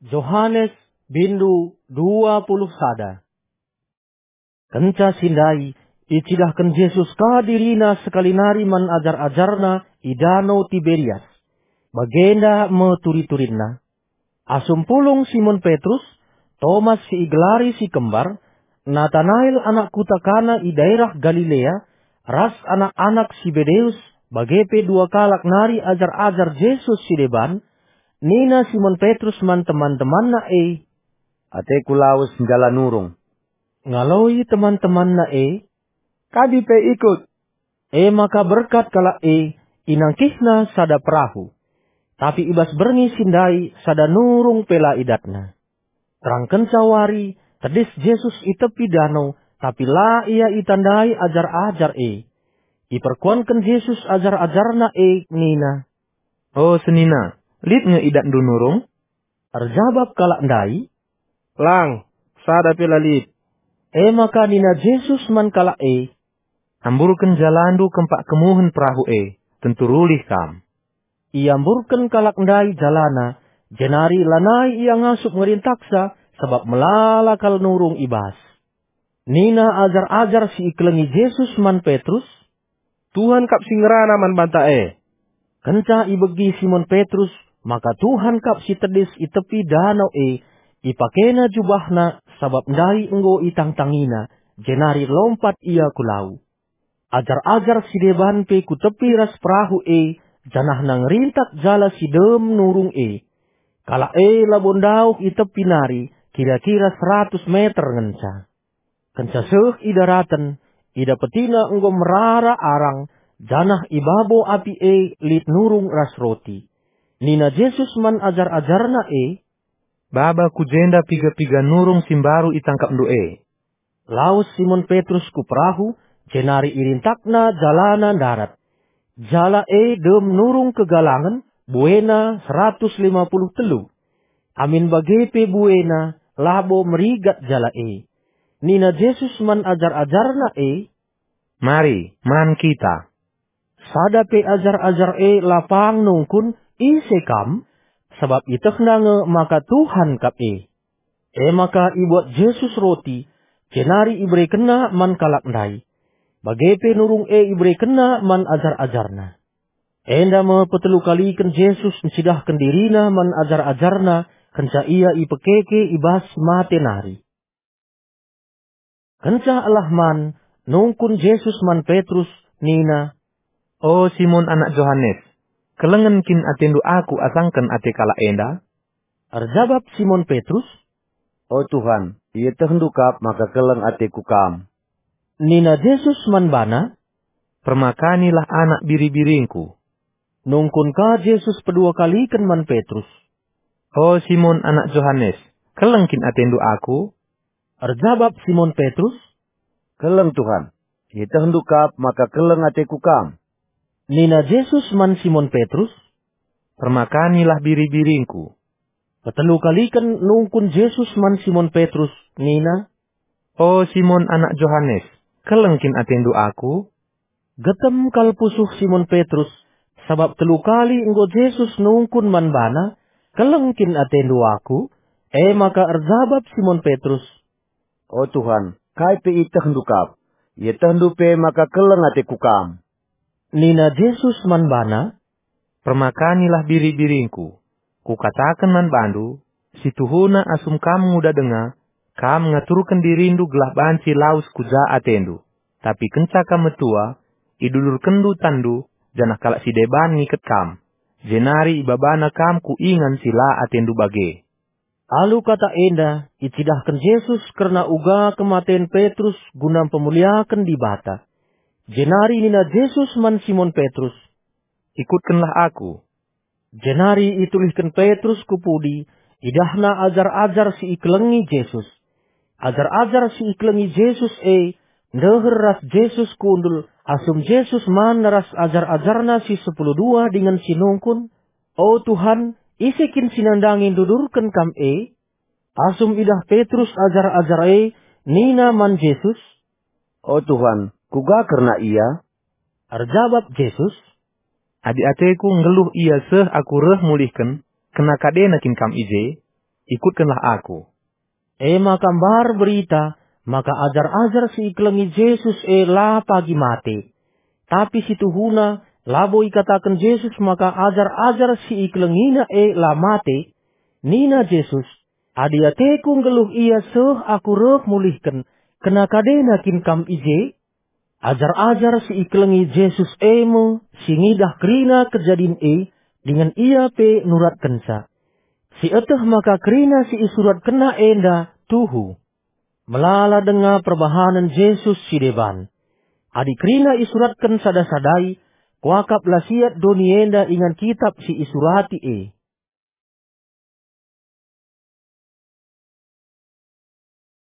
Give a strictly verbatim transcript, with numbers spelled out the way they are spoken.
Johanes, bindu dua puluh sada. Kenca si ndai, icidahken Jesus ka diriNa sekali nari man ajar-ajarNa i Dano Tiberias. Bagenda me turi-turinna. Asum pulung Simon Petrus, Tomas si igelari si Kembar, Natanael anak kuta Kana i daerah Galilea, ras anak-anak Sibedeus, bage pe dua kalak nari ajar-ajar Jesus si deban, nina Simon Petrus man teman-temanna e, "Ateku lawes njala nurung." Ngaloi teman-temanna e, "Kami pe ikut." E maka berkat kalak e, inangkihna sada perahu. Tapi i bas berngi si ndai sada nurung pe la idatna. Terang kenca wari, tedis Jesus i tepi dano, tapi la ia itandai ajar-ajar e. Iperkuanken Jesus ajar-ajarNa e nina, "O senina, lit nge idatndu nurung?" Erjabap kalak ndai, "Lang, sada pe la lit." E maka nina Jesus man kalak e, "Amburken jalandu kempak kemuhen perahu e, tentu rulih kam." Iamburken kalak ndai jalana, jenari lanai ia ngasup ngerintaksa, sabap melala kal nurung i bas. Nina ajar-ajar si ikelengi Jesus man Petrus, "Tuhan kap si ngerana man banta e." Kenca ibegi Simon Petrus maka Tuhan kap si tedis i tepi dano e, ipakena jubahna, sabap ndai enggo itangtangina, jenari lompat ia ku lau. Ajar-ajar si deban pe ku tepi ras perahu e, janahna ngerintak jala si dem nurung e. Kalak e labo ndauh i tepi nari, kira-kira seratus meter ngenca. Kenca seh i daraten, idapetina enggo merara arang, janah i babo api e lit nurung ras roti. Nina Jesus man ajar-ajarNa e, "Baba ku jenda piga-piga nurung si mbaru itangkapndu e." Lawes Simon Petrus ku perahu, jenari irintakna jalana ndarat. Jala e dem nurung kegalangen, buena seratus lima puluh telu. Amin bage pe buena, labo merigat jala e. Nina Jesus man ajar-ajarNa e, "Mari, man kita." Sada pe ajar-ajar e la pang nungkun, "Ise Kam?" sabap ietehna nge maka Tuhan kap e. E maka ibuat Jesus roti, jenari iberekenNa man kalak ndai. Bage pe nurung e iberekenNa man ajar-ajarNa. Enda me petelu kaliken Jesus ncidahken diriNa man ajar-ajarNa kenca Ia ipekeke i bas si mate nari. Kenca elah man, nungkun Jesus man Petrus, nina, "O Simon anak Johanes, kelengen kin atendu Aku asangken ate kalak enda?" Erjabap Simon Petrus, "O Tuhan, ietehndu kap maka keleng ateku Kam." Nina Jesus man bana, "Permakanilah anak biri-biringKu." Nungkun ka Jesus pedua kaliken man Petrus, "O Simon anak Johanes, keleng kin atendu Aku?" Erjabap Simon Petrus, "Keleng, Tuhan, ietehndu kap maka keleng ateku Kam." Nina Jesus man Simon Petrus, "Permakanilah biri-biringKu." Petelu kaliken nungkun Jesus man Simon Petrus, nina, "O Simon anak Johanes, keleng kin atendu Aku?" Getem kal pusuh Simon Petrus, sabap telu kali enggo Jesus nungkun man bana, "Keleng kin atendu Aku?" E maka erjabap Simon Petrus, "O Tuhan, kai pe ietehndu kap. Ietehndu pe maka keleng ateku Kam." Nina Jesus man bana, "Permakanilah biri-biringKu. Kukataken man bandu, si tuhuna asum kam nguda denga, kam ngaturken dirindu gelah banci lawes ku ja atendu. Tapi kenca kam metua, idudurkenndu tanndu, janah kalak si deban ngiket kam, jenari ibabana kam ku ingan si la atendu bage." Alu kata enda, icidahken Jesus kerna uga kematen Petrus guna mpemuliaken Dibata. Jenari nina Jesus man Simon Petrus, "Ikutkenlah Aku." Jenari itulihken Petrus ku pudi, idahna ajar-ajar si ikelengi Jesus. Ajar-ajar si ikelengi Jesus e ndeher ras Jesus kundul, asum Jesus man ras ajar-ajarNa si sepuluh dua dingen si nungkun, "O Tuhan, ise kin si nandangi ndudurken Kam e?" Asum idah Petrus ajar-ajar e, nina man Jesus, "O Tuhan, kuga kerna ia?" Erjabap Jesus, "Adi ateKu nggeluh ia seh Aku reh mulihken, kena kadena kin kam i je? ikutkenlah Aku." E maka mbar berita maka ajar-ajar si ikelengi Jesus e la pagi mate. Tapi si tuhuna labo ikataken Jesus maka ajar-ajar si ikelengina e la mate. Nina Jesus, "Adi ateKu nggeluh ia seh Aku reh mulihken, kena kadena kin kam i je?" Ajar-ajar si ikelengi Jesus e me si ngidah kerina kejadin e, dingen ia pe nuratkenca. Sieteh maka kerina si isuratkenna enda tuhu. Melala denga perbahanen Jesus si deban. Adi kerina isuratken sada-sadai, kuakap la siat doni enda ingan kitap si isurati e.